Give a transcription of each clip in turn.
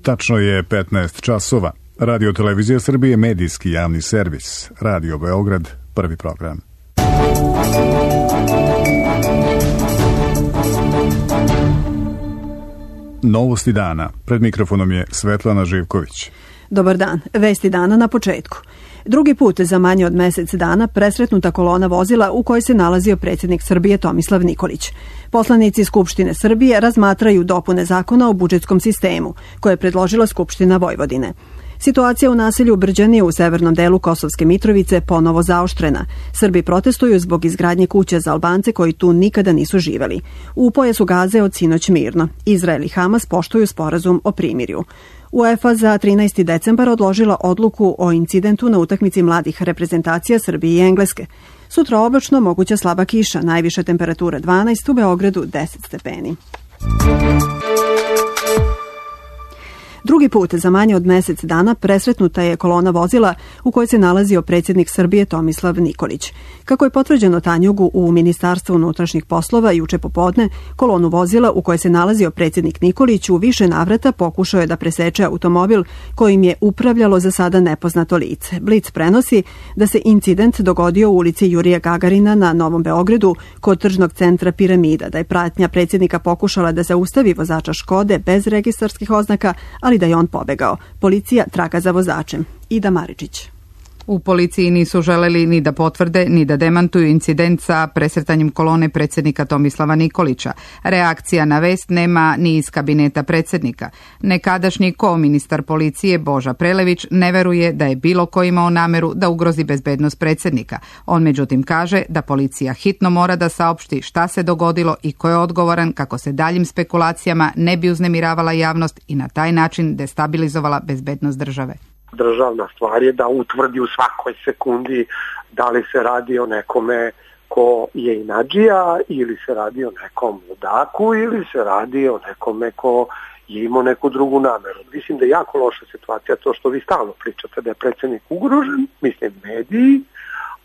Tačno je 15 časova. Radio Televizija Srbije, medijski javni servis. Radio Beograd, prvi program. Novosti dana. Pred mikrofonom je Svetlana Živković. Dobar dan. Vesti dana na početku. Drugi put za manje od mesec dana presretnuta kolona vozila u kojoj se nalazio predsjednik Srbije Tomislav Nikolić. Poslanici Skupštine Srbije razmatraju dopune zakona o budžetskom sistemu, koje je predložila Skupština Vojvodine. Situacija u naselju Brđani u severnom delu Kosovske Mitrovice ponovo zaoštrena. Srbi protestuju zbog izgradnje kuća za Albance koji tu nikada nisu živeli. U pojasu Gaze od sinoć mirno. Izrael i Hamas poštuju sporazum o primirju. UEFA za 13. decembar odložila odluku o incidentu na utakmici mladih reprezentacija Srbije i Engleske. Sutra oblačno, moguća slaba kiša, najviša temperatura 12, u Beogradu 10 stepeni. Drugi put za manje od mesec dana presretnuta je kolona vozila u kojoj se nalazio predsjednik Srbije Tomislav Nikolić. Kako je potvrđeno Tanjugu u Ministarstvu unutrašnjih poslova juče popodne, kolonu vozila u kojoj se nalazio predsjednik Nikolić u više navrata pokušao je da preseče automobil kojim je upravljalo za sada nepoznato lice. Blic prenosi da se incident dogodio u ulici Jurija Gagarina na Novom Beogradu kod tržnog centra Piramida, da je pratnja predsjednika pokušala da zaustavi vozača Škode bez registarskih oznaka, ali da je on pobegao. Policija traga za vozačem. Ida Maričić. U policiji nisu želeli ni da potvrde, ni da demantuju incident sa presretanjem kolone predsjednika Tomislava Nikolića. Reakcija na vest nema ni iz kabineta predsjednika. Nekadašnji koministar policije Boža Prelević ne veruje da je bilo ko imao nameru da ugrozi bezbednost predsjednika. On međutim kaže da policija hitno mora da saopšti šta se dogodilo i ko je odgovoran kako se daljim spekulacijama ne bi uznemiravala javnost i na taj način destabilizovala bezbednost države. Državna stvar je da utvrdi u svakoj sekundi da li se radi o nekome ko je inadžija ili se radi o nekom ludaku ili se radi o nekome ko je imao neku drugu nameru. Mislim da je jako loša situacija to što vi stalno pričate da je predsjednik ugrožen, mislim mediji,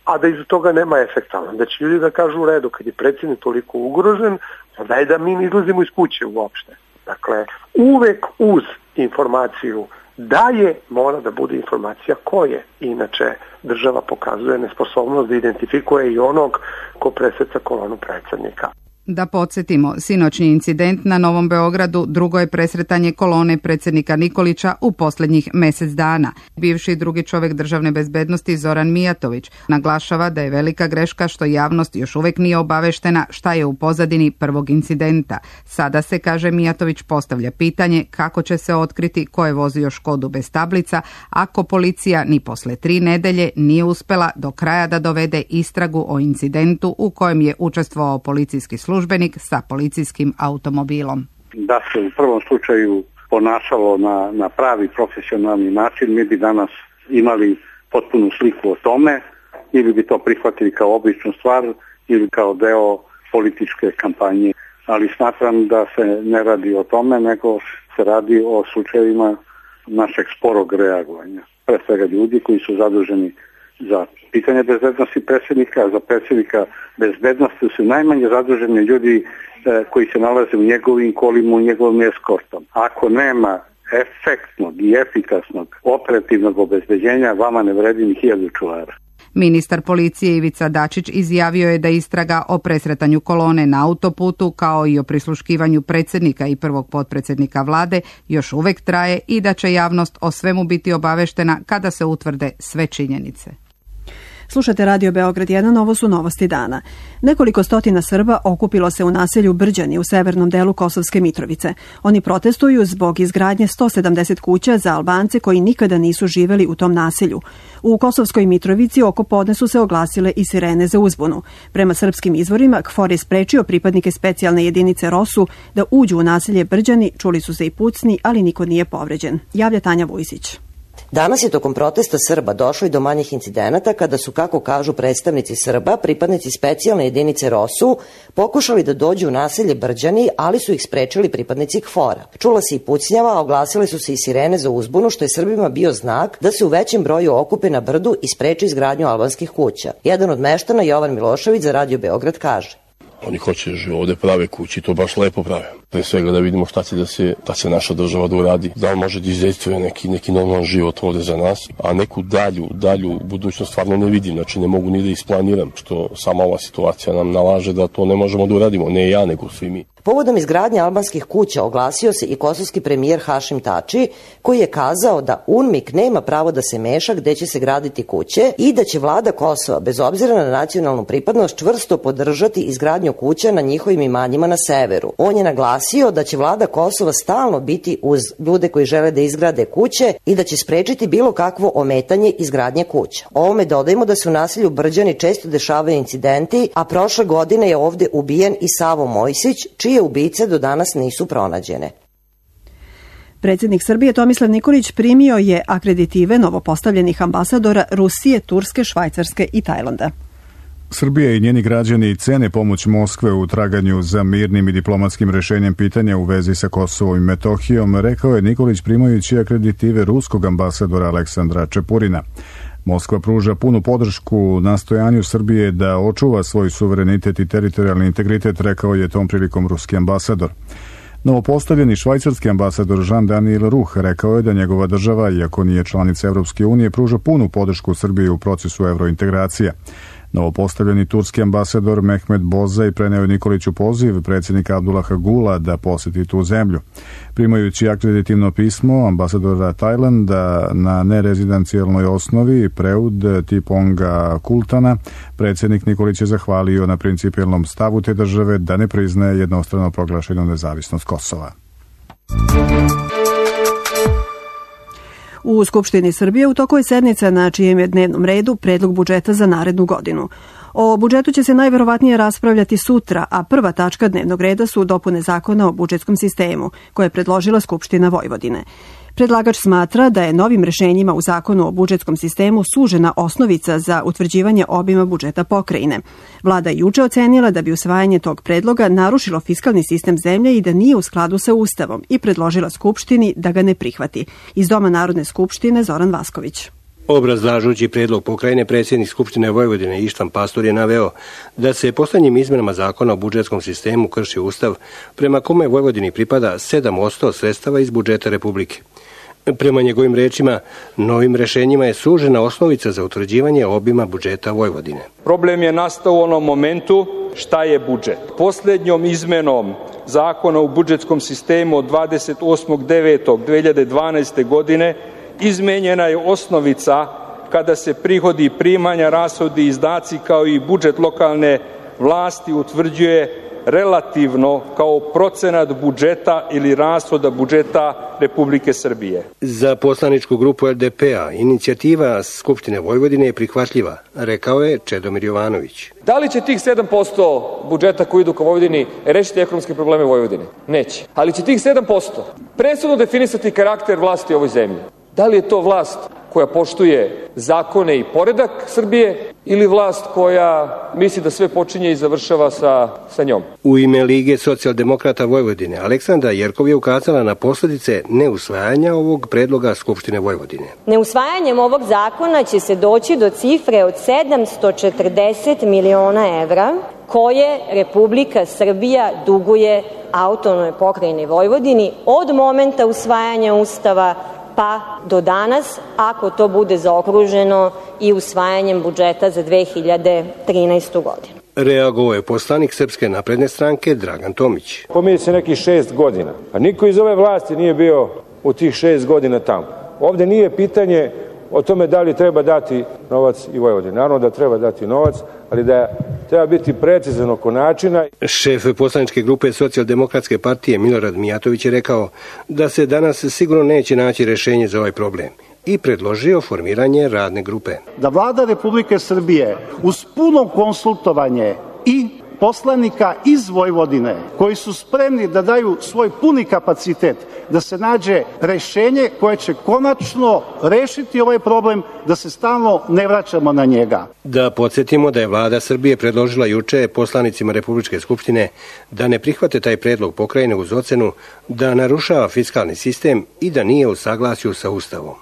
a da iz toga nema efekta. Da će ljudi da kažu u redu, kad je predsjednik toliko ugrožen, onda je da mi ne izlazimo iz kuće uopšte. Dakle, uvek uz informaciju da je, mora da bude informacija ko je. Inače, država pokazuje nesposobnost da identifikuje i onog ko presreća kolonu predsjednika. Da podsjetimo, sinoćni incident na Novom Beogradu drugo je presretanje kolone predsjednika Nikolića u posljednjih mesec dana. Bivši drugi čovjek državne bezbednosti Zoran Mijatović naglašava da je velika greška što javnost još uvijek nije obaveštena šta je u pozadini prvog incidenta. Sada se, kaže Mijatović, postavlja pitanje kako će se otkriti ko je vozio Škodu bez tablica ako policija ni posle 3 nedelje nije uspela do kraja da dovede istragu o incidentu u kojem je učestvovao policijski službenik sa policijskim automobilom. Da se u prvom slučaju ponašalo na pravi profesionalni način, mi bi danas imali potpunu sliku o tome, ili bi to prihvatili kao običnu stvar ili kao deo političke kampanje. Ali smatram da se ne radi o tome, nego se radi o slučajevima našeg sporog reagovanja. Pre svega ljudi koji su zaduženi za pitanje bezbednosti predsjednika, za predsjednika bezbednosti su najmanje zaduženi ljudi koji se nalaze u njegovim kolima, u njegovom eskortom. Ako nema efektnog i efikasnog operativnog obezbeđenja, vama ne vredi ni 1000 čuvara. Ministar policije Ivica Dačić izjavio je da istraga o presretanju kolone na autoputu kao i o prisluškivanju predsjednika i prvog potpredsjednika vlade još uvijek traje i da će javnost o svemu biti obaveštena kada se utvrde sve činjenice. Slušate Radio Beograd 1, ovo su novosti dana. Nekoliko stotina Srba okupilo se u naselju Brđani u severnom delu Kosovske Mitrovice. Oni protestuju zbog izgradnje 170 kuća za Albance koji nikada nisu živeli u tom naselju. U Kosovskoj Mitrovici oko podne su se oglasile i sirene za uzbunu. Prema srpskim izvorima, KFOR je sprečio pripadnike specijalne jedinice ROSU da uđu u naselje Brđani, čuli su se i pucni, ali niko nije povređen. Javlja Tanja Vujsić. Danas je tokom protesta Srba došlo i do manjih incidenata kada su, kako kažu predstavnici Srba, pripadnici specijalne jedinice ROSU pokušali da dođu u naselje Brđani, ali su ih sprečili pripadnici KFOR-a. Čula se i pucnjava, a oglasile su se i sirene za uzbunu, što je Srbima bio znak da se u većem broju okupe na brdu i spreči izgradnju albanskih kuća. Jedan od meštana, Jovan Milošević, za Radio Beograd kaže: Oni hoće da žive ovde, prave kući, to baš lepo prave. Pre svega da vidimo šta će naša država da uradi, da on može da izdejstvuje neki normalan život ovde za nas, a neku dalju budućnost stvarno ne vidim, znači ne mogu ni da isplaniram, što sama ova situacija nam nalaže da to ne možemo da uradimo, ne ja nego svi mi. Povodom izgradnje albanskih kuća oglasio se i kosovski premijer Hašim Tači, koji je kazao da UNMIK nema pravo da se meša gde će se graditi kuće i da će vlada Kosova, bez obzira na nacionalnu pripadnost, čvrsto podržati izgradnju kuća na njihovim imanjima na severu. On je naglasio da će vlada Kosova stalno biti uz ljude koji žele da izgrade kuće i da će sprečiti bilo kakvo ometanje izgradnje kuća. Ovome dodajemo da se u naselju Brđani često dešavaju incidenti, a prošle godine je ovde ubijen i Savo Mojsić, čije ubice do danas nisu pronađene. Predsjednik Srbije Tomislav Nikolić primio je akreditive novopostavljenih ambasadora Rusije, Turske, Švajcarske i Tajlanda. Srbija i njeni građani cene pomoć Moskve u traganju za mirnim i diplomatskim rešenjem pitanja u vezi sa Kosovom i Metohijom, rekao je Nikolić primajući akreditive ruskog ambasadora Aleksandra Čepurina. Moskva pruža punu podršku nastojanju Srbije da očuva svoj suverenitet i teritorijalni integritet, rekao je tom prilikom ruski ambasador. Novopostavljeni švajcarski ambasador Jean-Daniel Ruh rekao je da njegova država, iako nije članica Evropske unije, pruža punu podršku Srbiji u procesu evrointegracija. Novopostavljeni turski ambasador Mehmet Bozaj preneo je Nikoliću poziv predsjednika Abdullaha Gula da poseti tu zemlju. Primajući akreditivno pismo ambasadora Tajlanda na nerezidencijalnoj osnovi Preud Tiponga Kultana, predsjednik Nikolić je zahvalio na principijelnom stavu te države da ne priznaje jednostrano proglašenu nezavisnost Kosova. U Skupštini Srbije u toku je sednica na čijem je dnevnom redu predlog budžeta za narednu godinu. O budžetu će se najverovatnije raspravljati sutra, a prva tačka dnevnog reda su dopune zakona o budžetskom sistemu, koje je predložila Skupština Vojvodine. Predlagač smatra da je novim rešenjima u zakonu o budžetskom sistemu sužena osnovica za utvrđivanje obima budžeta pokrajine. Vlada je juče ocenila da bi usvajanje tog predloga narušilo fiskalni sistem zemlje i da nije u skladu sa Ustavom i predložila Skupštini da ga ne prihvati. Iz Doma Narodne skupštine Zoran Vasković. Obrazlažući predlog pokrajine, predsjednik Skupštine Vojvodine Ištvan Pastor je naveo da se poslednjim izmenama zakona o budžetskom sistemu krši Ustav, prema kome Vojvodini pripada 7% sredstava iz budžeta Republike. Prema njegovim rečima, novim rešenjima je sužena osnovica za utvrđivanje obima budžeta Vojvodine. Problem je nastao u onom momentu šta je budžet. Poslednjom izmenom zakona o budžetskom sistemu od 28.9.2012. godine izmenjena je osnovica kada se prihodi i primanja, rashodi i izdaci kao i budžet lokalne vlasti utvrđuje relativno kao procenat budžeta ili rashoda budžeta Republike Srbije. Za poslaničku grupu LDP-a inicijativa Skupštine Vojvodine je prihvatljiva, rekao je Čedomir Jovanović. Da li će tih 7% budžeta koji idu ka Vojvodini rešiti ekonomske probleme Vojvodine? Neće. Ali će tih 7% presudno definisati karakter vlasti u ovoj zemlji. Da li je to vlast koja poštuje zakone i poredak Srbije ili vlast koja misli da sve počinje i završava sa njom? U ime Lige socijaldemokrata Vojvodine Aleksandra Jerkov je ukazala na posledice neusvajanja ovog predloga Skupštine Vojvodine. Neusvajanjem ovog zakona će se doći do cifre od 740 miliona evra koje Republika Srbija duguje autonomnoj pokrajini Vojvodini od momenta usvajanja Ustava pa do danas, ako to bude zaokruženo i usvajanjem budžeta za 2013. godinu. Reagovao je poslanik Srpske napredne stranke Dragan Tomić. Pominje se nekih 6 godina, a niko iz ove vlasti nije bio u tih 6 godina tamo. Ovde nije pitanje o tome da li treba dati novac i Vojvodini. Naravno da treba dati novac, ali da treba biti precizan oko načina. Šef poslaničke grupe Socijaldemokratske partije Milorad Mijatović je rekao da se danas sigurno neće naći rešenje za ovaj problem i predložio formiranje radne grupe. Da vlada Republike Srbije uz puno konsultovanje i poslanika iz Vojvodine koji su spremni da daju svoj puni kapacitet, da se nađe rešenje koje će konačno rešiti ovaj problem, da se stalno ne vraćamo na njega. Da podsjetimo da je vlada Srbije predložila juče poslanicima Republičke skupštine da ne prihvate taj predlog pokrajine uz ocenu da narušava fiskalni sistem i da nije u saglasju sa Ustavom.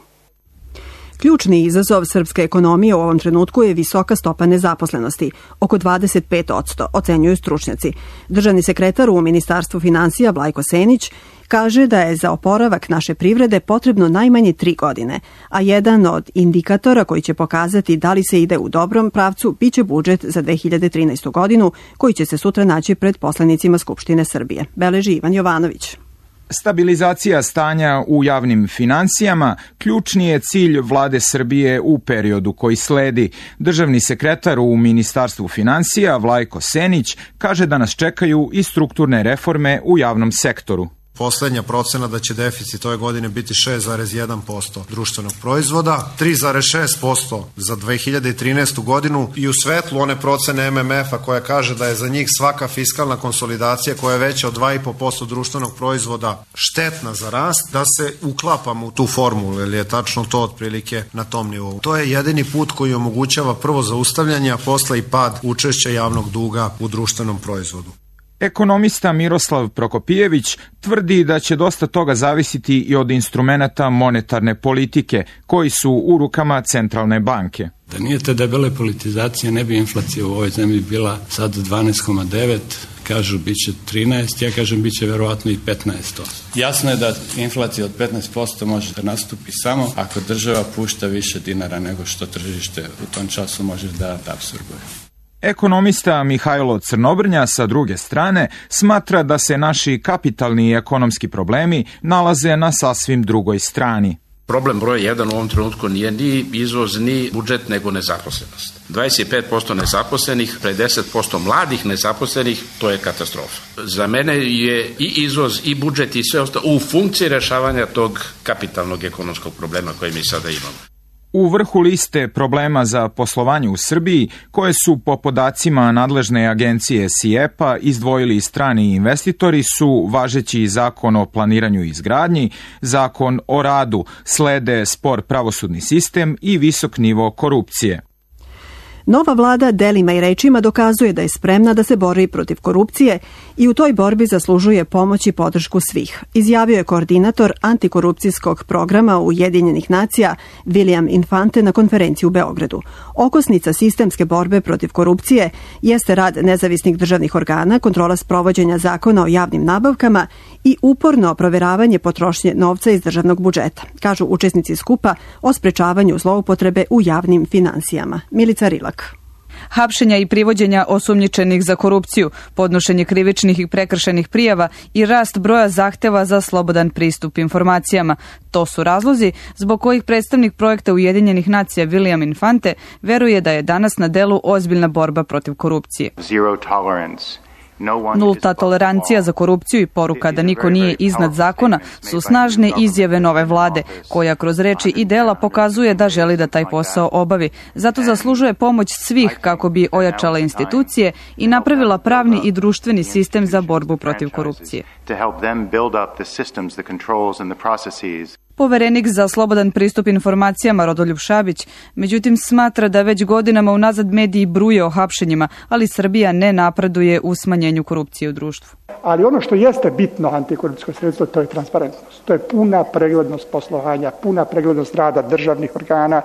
Ključni izazov srpske ekonomije u ovom trenutku je visoka stopa nezaposlenosti, oko 25%, ocenjuju stručnjaci. Državni sekretar u Ministarstvu finansija Vlajko Senić kaže da je za oporavak naše privrede potrebno najmanje 3 godine, a jedan od indikatora koji će pokazati da li se ide u dobrom pravcu biće budžet za 2013. godinu koji će se sutra naći pred poslanicima Skupštine Srbije. Beleži Ivan Jovanović. Stabilizacija stanja u javnim finansijama ključni je cilj vlade Srbije u periodu koji sledi. Državni sekretar u Ministarstvu finansija Vlajko Senić kaže da nas čekaju i strukturne reforme u javnom sektoru. Poslednja procena da će deficit ove godine biti 6,1% društvenog proizvoda, 3,6% za 2013. godinu i u svetlu one procene MMF-a koja kaže da je za njih svaka fiskalna konsolidacija koja je veća od 2,5% društvenog proizvoda štetna za rast, da se uklapamo u tu formulu, jer je tačno to otprilike na tom nivou. To je jedini put koji omogućava prvo zaustavljanje, a posle i pad učešća javnog duga u društvenom proizvodu. Ekonomista Miroslav Prokopijević tvrdi da će dosta toga zavisiti i od instrumenata monetarne politike, koji su u rukama centralne banke. Da nije te debele politizacije, ne bi inflacija u ovoj zemlji bila sad 12,9, kažu bit će 13, ja kažem bit će verovatno i 15%. Jasno je da inflacija od 15% može da nastupi samo ako država pušta više dinara nego što tržište u tom času može da apsorbuje. Ekonomista Mihajlo Crnobrnja sa druge strane smatra da se naši kapitalni i ekonomski problemi nalaze na sasvim drugoj strani. Problem broj 1 u ovom trenutku nije ni izvoz, ni budžet, nego nezaposlenost. 25% nezaposlenih, pre 10% mladih nezaposlenih, to je katastrofa. Za mene je i izvoz, i budžet, i sve ostalo u funkciji rešavanja tog kapitalnog ekonomskog problema koje mi sada imamo. U vrhu liste problema za poslovanje u Srbiji, koje su po podacima nadležne agencije SIEPA izdvojili strani investitori, su važeći zakon o planiranju i izgradnji, zakon o radu, slede spor pravosudni sistem i visok nivo korupcije. Nova vlada delima i rečima dokazuje da je spremna da se bori protiv korupcije i u toj borbi zaslužuje pomoć i podršku svih, izjavio je koordinator antikorupcijskog programa Ujedinjenih nacija William Infante na konferenciji u Beogradu. Okosnica sistemske borbe protiv korupcije jeste rad nezavisnih državnih organa, kontrola sprovođenja zakona o javnim nabavkama i uporno proveravanje potrošnje novca iz državnog budžeta, kažu učesnici skupa o sprečavanju zloupotrebe u javnim finansijama. Milica Rilak. Hapšenja i privođenja osumnjičenih za korupciju, podnošenje krivičnih i prekršajnih prijava i rast broja zahteva za slobodan pristup informacijama. To su razlozi zbog kojih predstavnik projekta Ujedinjenih nacija William Infante veruje da je danas na delu ozbiljna borba protiv korupcije. Nulta tolerancija za korupciju i poruka da niko nije iznad zakona su snažne izjave nove vlade, koja kroz reči i dela pokazuje da želi da taj posao obavi. Zato zaslužuje pomoć svih kako bi ojačala institucije i napravila pravni i društveni sistem za borbu protiv korupcije. Poverenik za slobodan pristup informacijama Rodoljub Šabić, međutim, smatra da već godinama unazad mediji bruje o hapšenjima, ali Srbija ne napreduje u smanjenju korupcije u društvu. Ali ono što jeste bitno antikorupcijsko sredstvo, to je transparentnost. To je puna preglednost poslovanja, puna preglednost rada državnih organa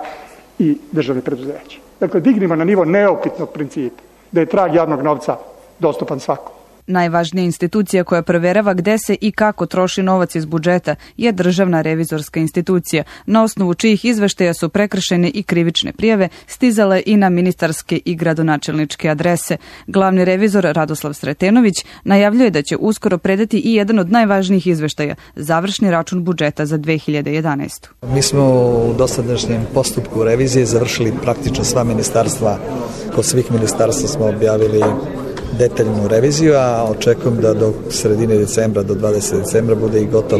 i državnih preduzeća. Dakle, dignimo na nivo neupitnog principa da je trag javnog novca dostupan svakom. Najvažnija institucija koja proverava gde se i kako troši novac iz budžeta je Državna revizorska institucija, na osnovu čijih izveštaja su prekršene i krivične prijave stizale i na ministarske i gradonačelničke adrese. Glavni revizor Radoslav Sretenović najavljuje da će uskoro predati i jedan od najvažnijih izveštaja, završni račun budžeta za 2011. Mi smo u dosadašnjem postupku revizije završili praktično sva ministarstva. Kod svih ministarstva smo objavili detaljnu reviziju, a očekujem da do sredine decembra, do 20. decembra bude i gotov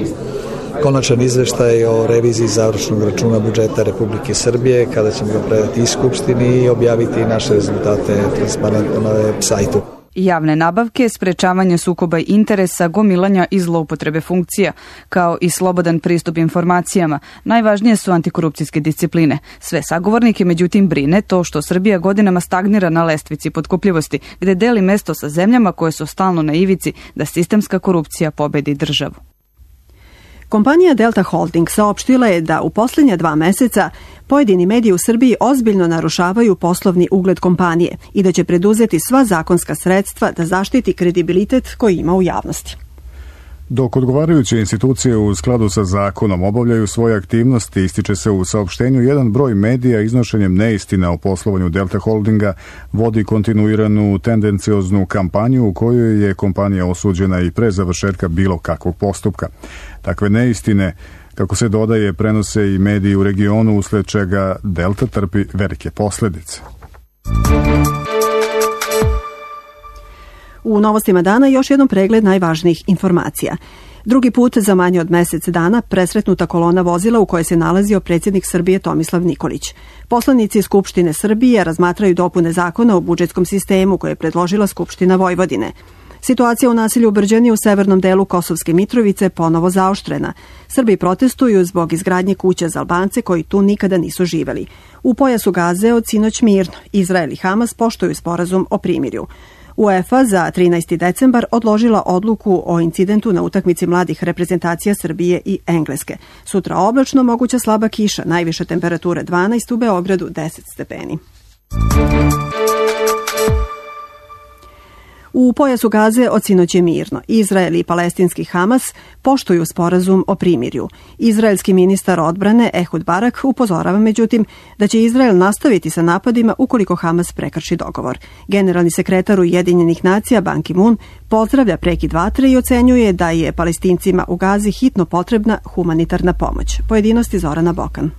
konačan izveštaj o reviziji završnog računa budžeta Republike Srbije, kada ćemo ga predati i Skupštini i objaviti naše rezultate transparentno na web sajtu. Javne nabavke, sprečavanje sukoba interesa, gomilanja i zloupotrebe funkcija, kao i slobodan pristup informacijama, najvažnije su antikorupcijske discipline. Sve sagovornike međutim brine to što Srbija godinama stagnira na lestvici potkupljivosti, gde deli mesto sa zemljama koje su stalno na ivici da sistemska korupcija pobedi državu. Kompanija Delta Holding saopštila je da u posljednja 2 meseca pojedini mediji u Srbiji ozbiljno narušavaju poslovni ugled kompanije i da će preduzeti sva zakonska sredstva da zaštiti kredibilitet koji ima u javnosti. Dok odgovarajuće institucije u skladu sa zakonom obavljaju svoje aktivnosti, ističe se u saopštenju, jedan broj medija iznošenjem neistina o poslovanju Delta Holdinga vodi kontinuiranu tendencioznu kampanju u kojoj je kompanija osuđena i pre završetka bilo kakvog postupka. Takve neistine, kako se dodaje, prenose i mediji u regionu, usled čega Delta trpi velike posljedice. U novostima dana još jedan pregled najvažnijih informacija. Drugi put za manje od mjesec dana presretnuta kolona vozila u kojoj se nalazio predsjednik Srbije Tomislav Nikolić. Poslanici Skupštine Srbije razmatraju dopune zakona o budžetskom sistemu koje je predložila Skupština Vojvodine. Situacija u naselju Brđani u severnom delu Kosovske Mitrovice ponovo zaoštrena. Srbi protestuju zbog izgradnje kuća za Albance koji tu nikada nisu živeli. U pojasu Gaze od sinoć mirno. Izrael i Hamas poštuju sporazum o primirju. UEFA za 13. decembar odložila odluku o incidentu na utakmici mladih reprezentacija Srbije i Engleske. Sutra oblačno, moguća slaba kiša, najviše temperature 12, u Beogradu 10 stepeni. U pojasu Gaze od sinoć je mirno. Izrael i palestinski Hamas poštuju sporazum o primirju. Izraelski ministar odbrane Ehud Barak upozorava međutim da će Izrael nastaviti sa napadima ukoliko Hamas prekrši dogovor. Generalni sekretar Ujedinjenih nacija Ban Ki-moon pozdravlja prekid vatre i ocenjuje da je Palestincima u Gazi hitno potrebna humanitarna pomoć. Pojedinosti Zorana Bokan.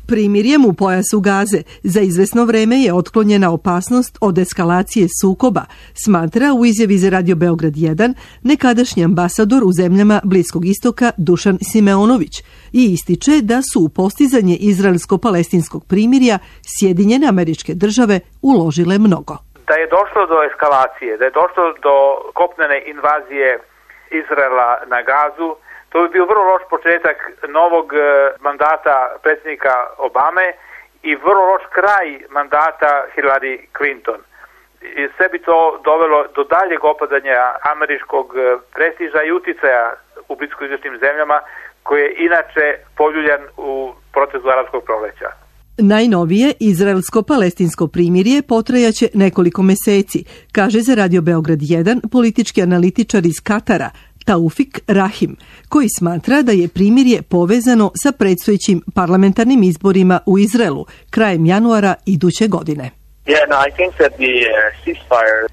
Primirjem u pojasu Gaze za izvesno vreme je otklonjena opasnost od eskalacije sukoba, smatra u izjavi za Radio Beograd 1 nekadašnji ambasador u zemljama Bliskog istoka Dušan Simeonović i ističe da su u postizanje izraelsko-palestinskog primirja Sjedinjene Američke Države uložile mnogo. Da je došlo do eskalacije, da je došlo do kopnene invazije Izraela na Gazu, to bi bio vrlo loš početak novog mandata predsjednika Obame i vrlo loš kraj mandata Hillary Clinton. I sve bi to dovelo do daljeg opadanja američkog prestiža i uticaja u bliskoistočnim zemljama koji je inače poljuljan u procesu arapskog proleća. Najnovije izraelsko-palestinsko primirje potrajaće nekoliko meseci, kaže za Radio Beograd 1 politički analitičar iz Katara Taufik Rahim, koji smatra da je primirje povezano sa predstojećim parlamentarnim izborima u Izraelu krajem januara iduće godine.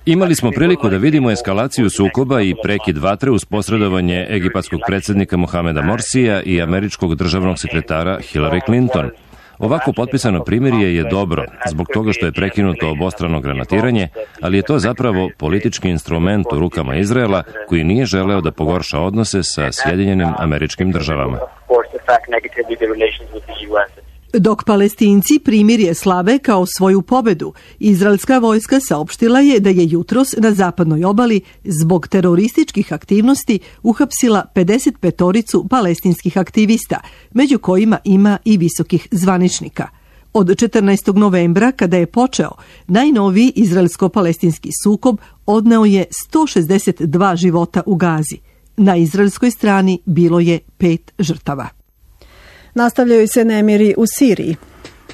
Imali smo priliku da vidimo eskalaciju sukoba i prekid vatre uz posredovanje egipatskog predsjednika Mohameda Morsija i američkog državnog sekretara Hillary Clinton. Ovako potpisano primirje je dobro, zbog toga što je prekinuto obostrano granatiranje, ali je to zapravo politički instrument u rukama Izraela koji nije želeo da pogorša odnose sa Sjedinjenim Američkim Državama. Dok Palestinci primirje slave kao svoju pobedu, izraelska vojska saopštila je da je jutros na zapadnoj obali zbog terorističkih aktivnosti uhapsila 55 palestinskih aktivista, među kojima ima i visokih zvaničnika. Od 14. novembra, kada je počeo, najnoviji izraelsko-palestinski sukob odneo je 162 života u Gazi. Na izraelskoj strani bilo je 5 žrtava. Nastavljaju se nemiri u Siriji.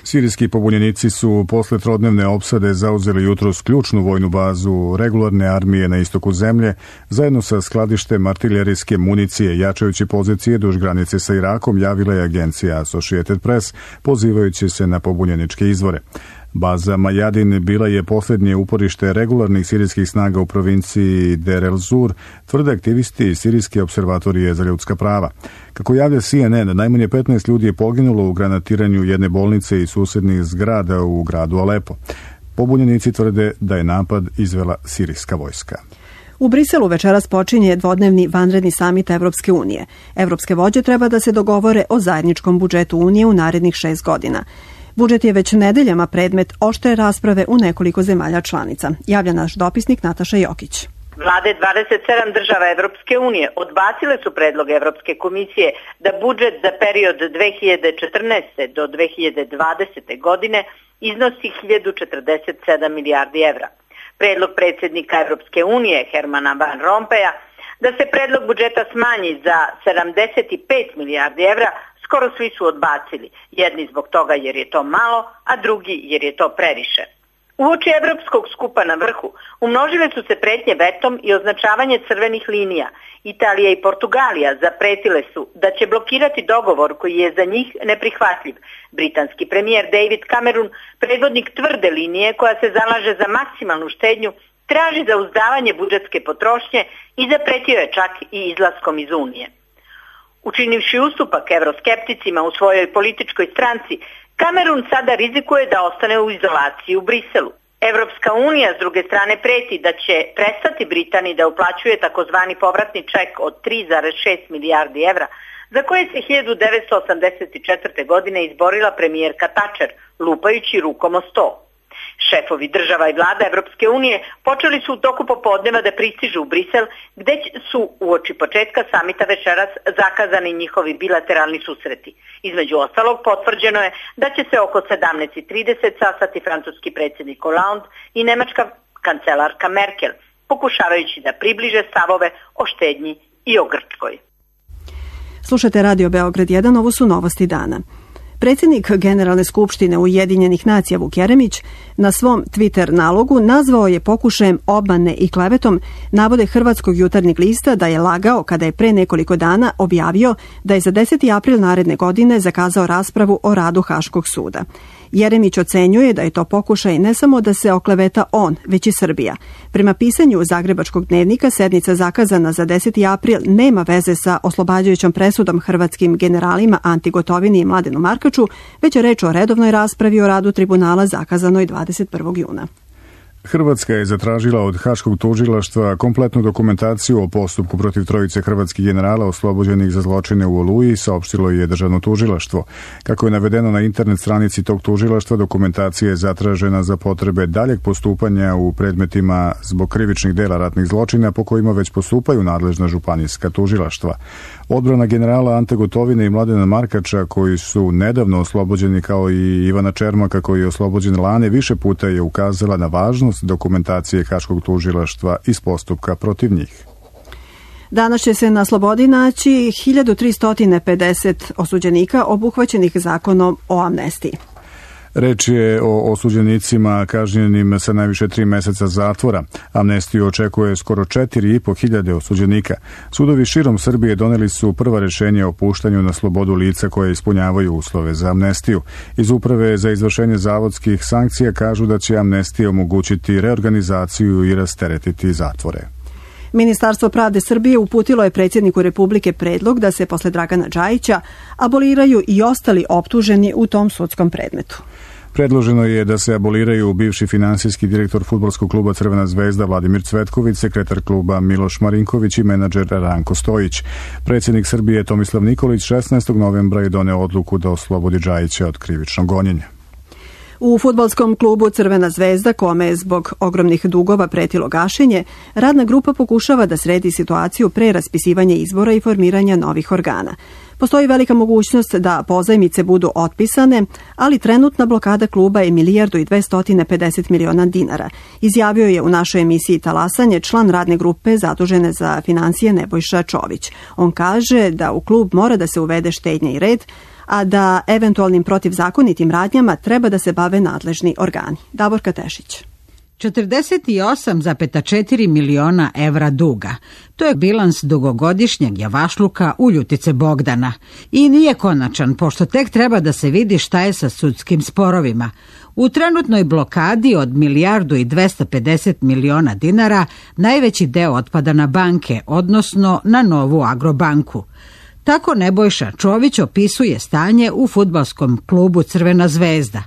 Sirijski pobunjenici su posle trodnevne opsade zauzeli jutros ključnu vojnu bazu regularne armije na istoku zemlje, zajedno sa skladištem artiljerijske municije, jačajući pozicije duž granice sa Irakom, javila je agencija Associated Press, pozivajući se na pobunjeničke izvore. Baza Majadin bila je posljednje uporište regularnih sirijskih snaga u provinciji Der el Zur, tvrde aktivisti iz Sirijske observatorije za ljudska prava. Kako javlja CNN, najmanje 15 ljudi je poginulo u granatiranju jedne bolnice i susjednih zgrada u gradu Alepo. Pobunjenici tvrde da je napad izvela sirijska vojska. U Briselu večeras počinje dvodnevni vanredni samit Evropske unije. Evropske vođe treba da se dogovore o zajedničkom budžetu Unije u narednih 6 godina. Budžet je već nedeljama predmet oštre rasprave u nekoliko zemalja članica. Javlja naš dopisnik Nataša Jokić. Vlade 27 država Evropske unije odbacile su predlog Evropske komisije da budžet za period 2014. do 2020. godine iznosi 1047 milijardi evra. Predlog predsjednika Evropske unije Hermana Van Rompuya Da se predlog budžeta smanji za 75 milijardi evra, skoro svi su odbacili. Jedni zbog toga jer je to malo, a drugi jer je to previše. Uoči Evropskog skupa na vrhu umnožile su se pretnje vetom i označavanje crvenih linija. Italija i Portugalija zapretile su da će blokirati dogovor koji je za njih neprihvatljiv. Britanski premijer David Cameron, predvodnik tvrde linije koja se zalaže za maksimalnu štednju, traži zauzdavanje budžetske potrošnje i zapretio je čak i izlaskom iz Unije. Učinivši ustupak evroskepticima u svojoj političkoj stranci, Kamerun sada rizikuje da ostane u izolaciji u Briselu. Evropska unija s druge strane preti da će prestati Britaniji da uplaćuje takozvani povratni ček od 3,6 milijardi evra, za koje se 1984. godine izborila premijerka Thatcher, lupajući rukom o sto. Šefovi država i vlada Evropske unije počeli su u toku popodneva da pristižu u Brisel, gde su uoči početka samita večeras zakazani njihovi bilateralni susreti. Između ostalog potvrđeno je da će se oko 17:30 sastati francuski predsjednik Hollande i nemačka kancelarka Merkel, pokušavajući da približe stavove o štednji i o Grčkoj. Slušate Radio Beograd 1, ovo su novosti dana. Predsjednik Generalne skupštine Ujedinjenih nacija Vuk Jeremić na svom Twitter nalogu nazvao je pokušajem obmane i klevetom navode Hrvatskog jutarnjeg lista da je lagao kada je pre nekoliko dana objavio da je za 10. april naredne godine zakazao raspravu o radu Haškog suda. Jeremić ocenjuje da je to pokušaj ne samo da se okleveta on, već i Srbija. Prema pisanju Zagrebačkog dnevnika, sednica zakazana za 10. april nema veze sa oslobađajućom presudom hrvatskim generalima Anti Gotovini i Mladenu Markaču, već je reč o redovnoj raspravi o radu tribunala zakazanoj 21. juna. Hrvatska je zatražila od Haškog tužilaštva kompletnu dokumentaciju o postupku protiv trojice hrvatskih generala oslobođenih za zločine u Oluji, saopštilo je državno tužilaštvo. Kako je navedeno na internet stranici tog tužilaštva, dokumentacija je zatražena za potrebe daljeg postupanja u predmetima zbog krivičnih dela ratnih zločina po kojima već postupaju nadležna županijska tužilaštva. Odbrana generala Ante Gotovine i Mladena Markača, koji su nedavno oslobođeni, kao i Ivana Čermaka, koji je oslobođen lane, više puta je ukazala na važnost dokumentacije Haškog tužilaštva iz postupka protiv njih. Danas će se na slobodi naći 1350 osuđenika obuhvaćenih zakonom o amnestiji. Reč je o osuđenicima kažnjenim sa najviše 3 meseca zatvora. Amnestiju očekuje skoro 4.500 osuđenika. Sudovi širom Srbije doneli su prva rešenja o puštanju na slobodu lica koje ispunjavaju uslove za amnestiju. Iz Uprave za izvršenje zavodskih sankcija kažu da će amnestija omogućiti reorganizaciju i rasteretiti zatvore. Ministarstvo pravde Srbije uputilo je predsjedniku Republike predlog da se posle Dragana Džajića aboliraju i ostali optuženi u tom sudskom predmetu. Predloženo je da se aboliraju bivši finansijski direktor fudbalskog kluba Crvena zvezda Vladimir Cvetković, sekretar kluba Miloš Marinković i menadžer Ranko Stojić. Predsjednik Srbije Tomislav Nikolić 16. novembra je doneo odluku da oslobodi Džajića od krivičnog gonjenja. U fudbalskom klubu Crvena zvezda, kome je zbog ogromnih dugova pretilo gašenje, radna grupa pokušava da sredi situaciju pre raspisivanja izbora i formiranja novih organa. Postoji velika mogućnost da pozajmice budu otpisane, ali trenutna blokada kluba je 1.250 miliona dinara, izjavio je u našoj emisiji Talasanje član radne grupe zadužene za finansije Nebojša Čović. On kaže da u klub mora da se uvede štednja i red, a da eventualnim protivzakonitim radnjama treba da se bave nadležni organi. Davorka Tešić. 48,4 miliona evra duga. To je bilans dugogodišnjeg javašluka Uljutice Bogdana. I nije konačan, pošto tek treba da se vidi šta je sa sudskim sporovima. U trenutnoj blokadi od 1.250 miliona dinara najveći deo otpada na banke, odnosno na Novu Agrobanku. Tako Nebojša Čović opisuje stanje u fudbalskom klubu Crvena zvezda.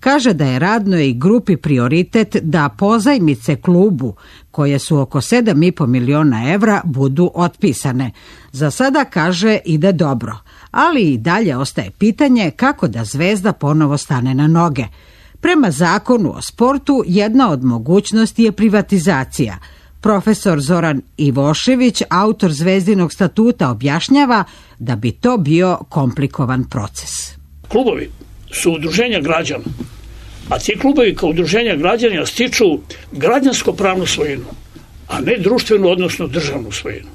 Kaže da je radnoj grupi prioritet da pozajmice klubu, koje su oko 7,5 miliona evra, budu otpisane. Za sada, kaže, ide dobro, ali i dalje ostaje pitanje kako da Zvezda ponovo stane na noge. Prema zakonu o sportu, jedna od mogućnosti je privatizacija. Profesor Zoran Ivošević, autor Zvezdinog statuta, objašnjava da bi to bio komplikovan proces. Klubovi su udruženja građana, a ti klubovi kao udruženja građana stiču građansko-pravnu svojinu, a ne društvenu, odnosno državnu svojinu.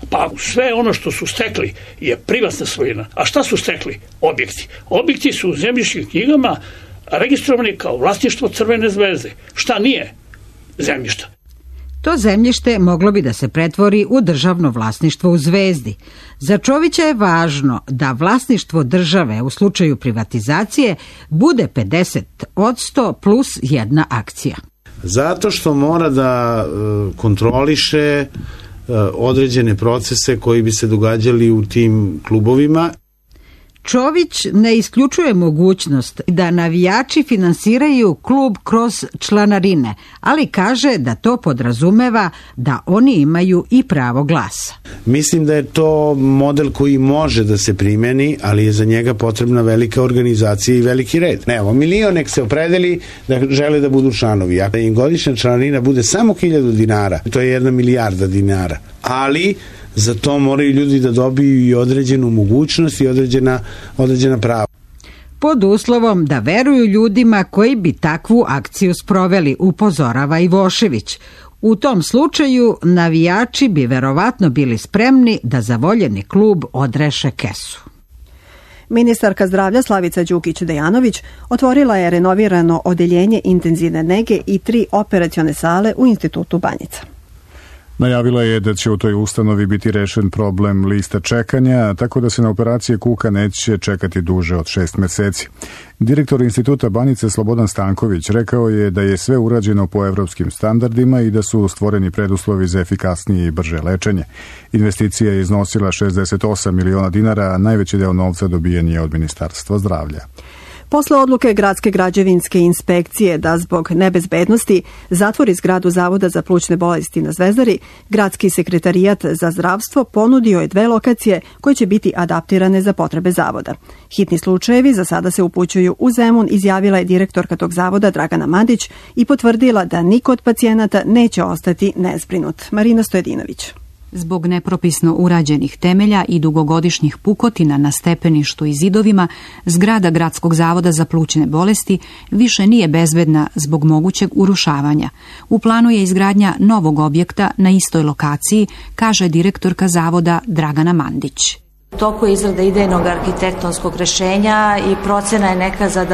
Pa sve ono što su stekli je privatna svojina. A šta su stekli? Objekti. Objekti su u zemljišnim knjigama registrovani kao vlasništvo Crvene zvezde. Šta nije zemljišta? To zemljište moglo bi da se pretvori u državno vlasništvo u Zvezdi. Za Čovića je važno da vlasništvo države u slučaju privatizacije bude 50% plus jedna akcija. Zato što mora da kontroliše određene procese koji bi se događali u tim klubovima. Čović ne isključuje mogućnost da navijači finansiraju klub kroz članarine, ali kaže da to podrazumeva da oni imaju i pravo glasa. Mislim da je to model koji može da se primeni, ali je za njega potrebna velika organizacija i veliki red. Evo, milion nek se opredeli da žele da budu članovi. Ako im godišnja članarina bude samo 1000 dinara, to je 1 milijarda dinara. Ali za to moraju ljudi da dobiju i određenu mogućnost i određena prava. Pod uslovom da veruju ljudima koji bi takvu akciju sproveli, upozorava Ivošević. U tom slučaju navijači bi verovatno bili spremni da za voljeni klub odreše kesu. Ministarka zdravlja Slavica Đukić-Dejanović otvorila je renovirano odeljenje intenzivne nege i 3 operacione sale u Institutu Banjica. Najavila je da će u toj ustanovi biti rešen problem lista čekanja, tako da se na operacije kuka neće čekati duže od 6 meseci. Direktor Instituta Banjice Slobodan Stanković rekao je da je sve urađeno po evropskim standardima i da su stvoreni preduslovi za efikasnije i brže lečenje. Investicija je iznosila 68 miliona dinara, a najveći deo novca dobijen je od Ministarstva zdravlja. Posle odluke Gradske građevinske inspekcije da zbog nebezbednosti zatvori zgradu Zavoda za plućne bolesti na Zvezdari, Gradski sekretarijat za zdravstvo ponudio je 2 lokacije koje će biti adaptirane za potrebe zavoda. Hitni slučajevi za sada se upućuju u Zemun, izjavila je direktorka tog zavoda Dragana Mandić i potvrdila da niko od pacijenata neće ostati nezbrinut. Marina Stojedinović. Zbog nepropisno urađenih temelja i dugogodišnjih pukotina na stepeništu i zidovima, zgrada Gradskog zavoda za plućne bolesti više nije bezbedna zbog mogućeg urušavanja. U planu je izgradnja novog objekta na istoj lokaciji, kaže direktorka zavoda Dragana Mandić. U toku je izrada idejnog arhitektonskog rešenja i procena je neka za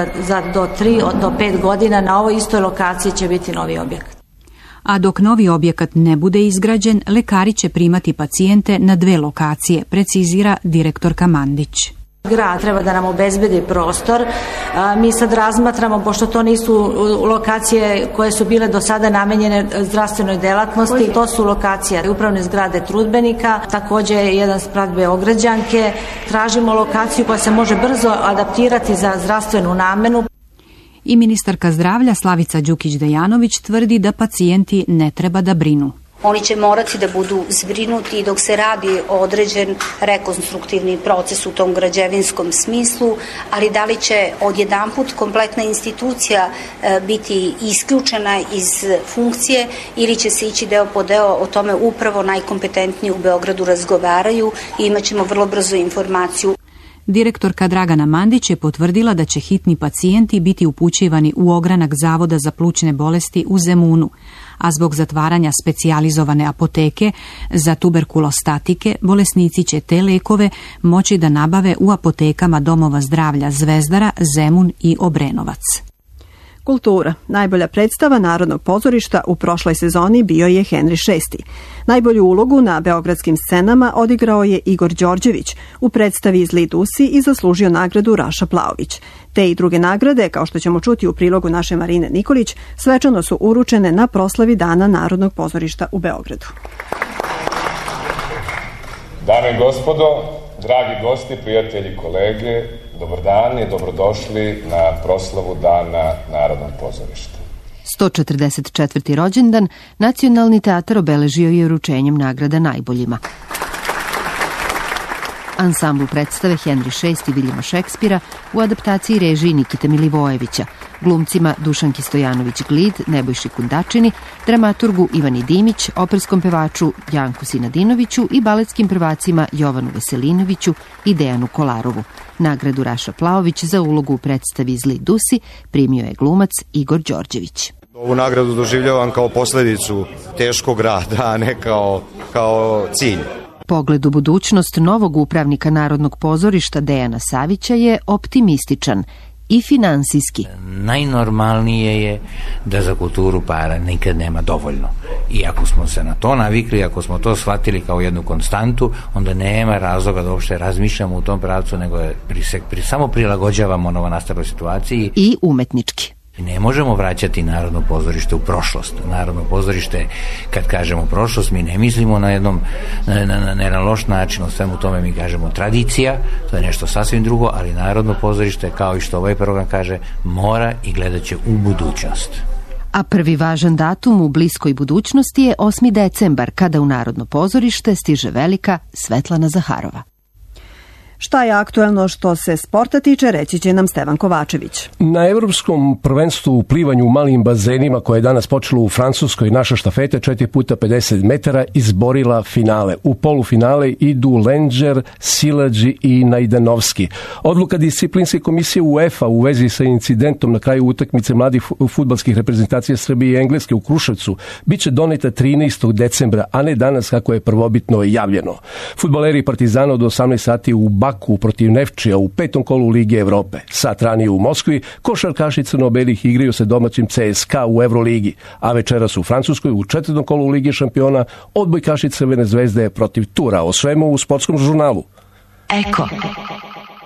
do 3 do 5 godina na ovoj istoj lokaciji će biti novi objekat. A dok novi objekat ne bude izgrađen, lekari će primati pacijente na 2 lokacije, precizira direktorka Mandić. Grad treba da nam obezbedi prostor. Mi sad razmatramo, pošto to nisu lokacije koje su bile do sada namenjene zdravstvenoj delatnosti, to su lokacije upravne zgrade Trudbenika, također jedan sprat Beograđanke. Tražimo lokaciju koja se može brzo adaptirati za zdravstvenu namenu. I ministarka zdravlja Slavica Đukić-Dejanović tvrdi da pacijenti ne treba da brinu. Oni će morati da budu zbrinuti dok se radi određen rekonstruktivni proces u tom građevinskom smislu, ali da li će odjedanput kompletna institucija biti isključena iz funkcije ili će se ići deo po deo, o tome upravo najkompetentniji u Beogradu razgovaraju i imat ćemo vrlo brzo informaciju. Direktorka Dragana Mandić je potvrdila da će hitni pacijenti biti upućivani u ogranak Zavoda za plućne bolesti u Zemunu, a zbog zatvaranja specijalizovane apoteke za tuberkulostatike, bolesnici će te lekove moći da nabave u apotekama domova zdravlja Zvezdara, Zemun i Obrenovac. Kultura. Najbolja predstava Narodnog pozorišta u prošloj sezoni bio je Henry VI. Najbolju ulogu na beogradskim scenama odigrao je Igor Đorđević u predstavi Zli Dusi i zaslužio nagradu Raša Plaović. Te i druge nagrade, kao što ćemo čuti u prilogu naše Marine Nikolić, svečano su uručene na proslavi Dana Narodnog pozorišta u Beogradu. Dame i gospodo, dragi gosti, prijatelji, kolege, dobar dan i dobrodošli na proslavu Dana Narodnog pozorišta. 144. rođendan Nacionalni teatar obeležio je uručenjem nagrada najboljima. Ansambl predstave Henry VI Viljama Šekspira u adaptaciji režiji Nikite Milivojevića, glumcima Dušanki Stojanović-Glid, Nebojši Kundačini, dramaturgu Ivani Dimić, operskom pevaču Janku Sinadinoviću i baletskim prvacima Jovanu Veselinoviću i Dejanu Kolarovu. Nagradu Raša Plaović za ulogu u predstavi Zli Dusi primio je glumac Igor Đorđević. Ovu nagradu doživljavam kao posledicu teškog rada, a ne kao cilj. pogled u budućnost novog upravnika Narodnog pozorišta Dejana Savića je optimističan i finansijski. Najnormalnije je da za kulturu para nikad nema dovoljno. I ako smo se na to navikli, ako smo to shvatili kao jednu konstantu, onda nema razloga da uopšte razmišljamo u tom pravcu, nego samo prilagođavamo novonastaloj situaciji. I umetnički. Ne možemo vraćati Narodno pozorište u prošlost. Narodno pozorište, kad kažemo prošlost, mi ne mislimo na jedan loš način, o svemu tome mi kažemo tradicija, to je nešto sasvim drugo, ali Narodno pozorište, kao i što ovaj program kaže, mora i gledat će u budućnost. A prvi važan datum u bliskoj budućnosti je 8. decembar, kada u Narodno pozorište stiže velika Svetlana Zaharova. Šta je aktuelno što se sporta tiče, reći će nam Stevan Kovačević. Na evropskom prvenstvu u plivanju u malim bazenima, koje je danas počelo u Francuskoj, naša štafeta 4x50 metara izborila finale. U polufinale idu Lenđer, Silađi i Najdanovski. Odluka disciplinske komisije UEFA u vezi sa incidentom na kraju utakmice mladih fudbalskih reprezentacija Srbije i Engleske u Kruševcu biće doneta 13. decembra, a ne danas kako je prvobitno javljeno. Fudbaleri Partizana od 18 sati u Baku protiv Nefčija u 5. kolu Lige Evrope. Sat ranije u Moskvi košarkaši crno-belih igraju se domaćim CSKA u Evroligi, a večeras u Francuskoj u 4. kolu Lige šampiona odbojkaši Crvene zvezde protiv Tura. O svemu u sportskom žurnalu. Eko.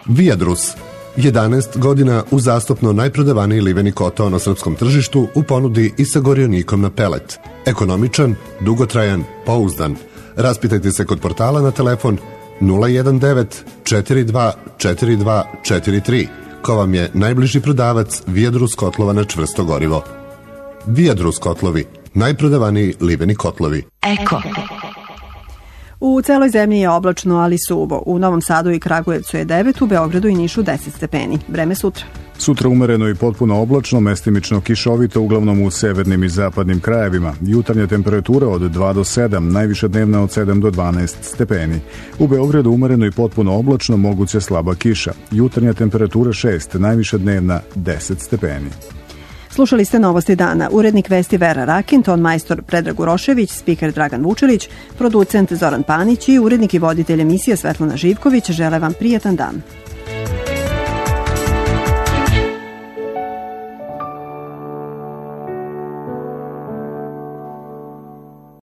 Viadrus. 11 godina uzastopno najprodavaniji liveni kotao na srpskom tržištu u ponudi i sa gorionikom na pelet. Ekonomičan, dugotrajan, pouzdan. Raspitajte se kod portala na telefon 019 42 42 43, ko vam je najbliži prodavac Viadrus kotlova na čvrsto gorivo. Viadrus kotlovi, najprodavaniji liveni kotlovi. Eko. U celoj zemlji je oblačno, ali suvo. U Novom Sadu i Kragujevcu je 9, u Beogradu i Nišu 10 stepeni. Vreme sutra. Sutra umereno i potpuno oblačno, mestimično kišovito, uglavnom u severnim i zapadnim krajevima. Jutarnja temperatura od 2 do 7, najviša dnevna od 7 do 12 stepeni. U Beogradu umereno i potpuno oblačno, moguće slaba kiša. Jutarnja temperatura 6, najviša dnevna 10 stepeni. Slušali ste Novosti dana. Urednik vesti Vera Rakin, ton majstor Predrag Urošević, spiker Dragan Vučelić, producent Zoran Panić i urednik i voditelj emisije Svetlana Živković žele vam prijatan dan.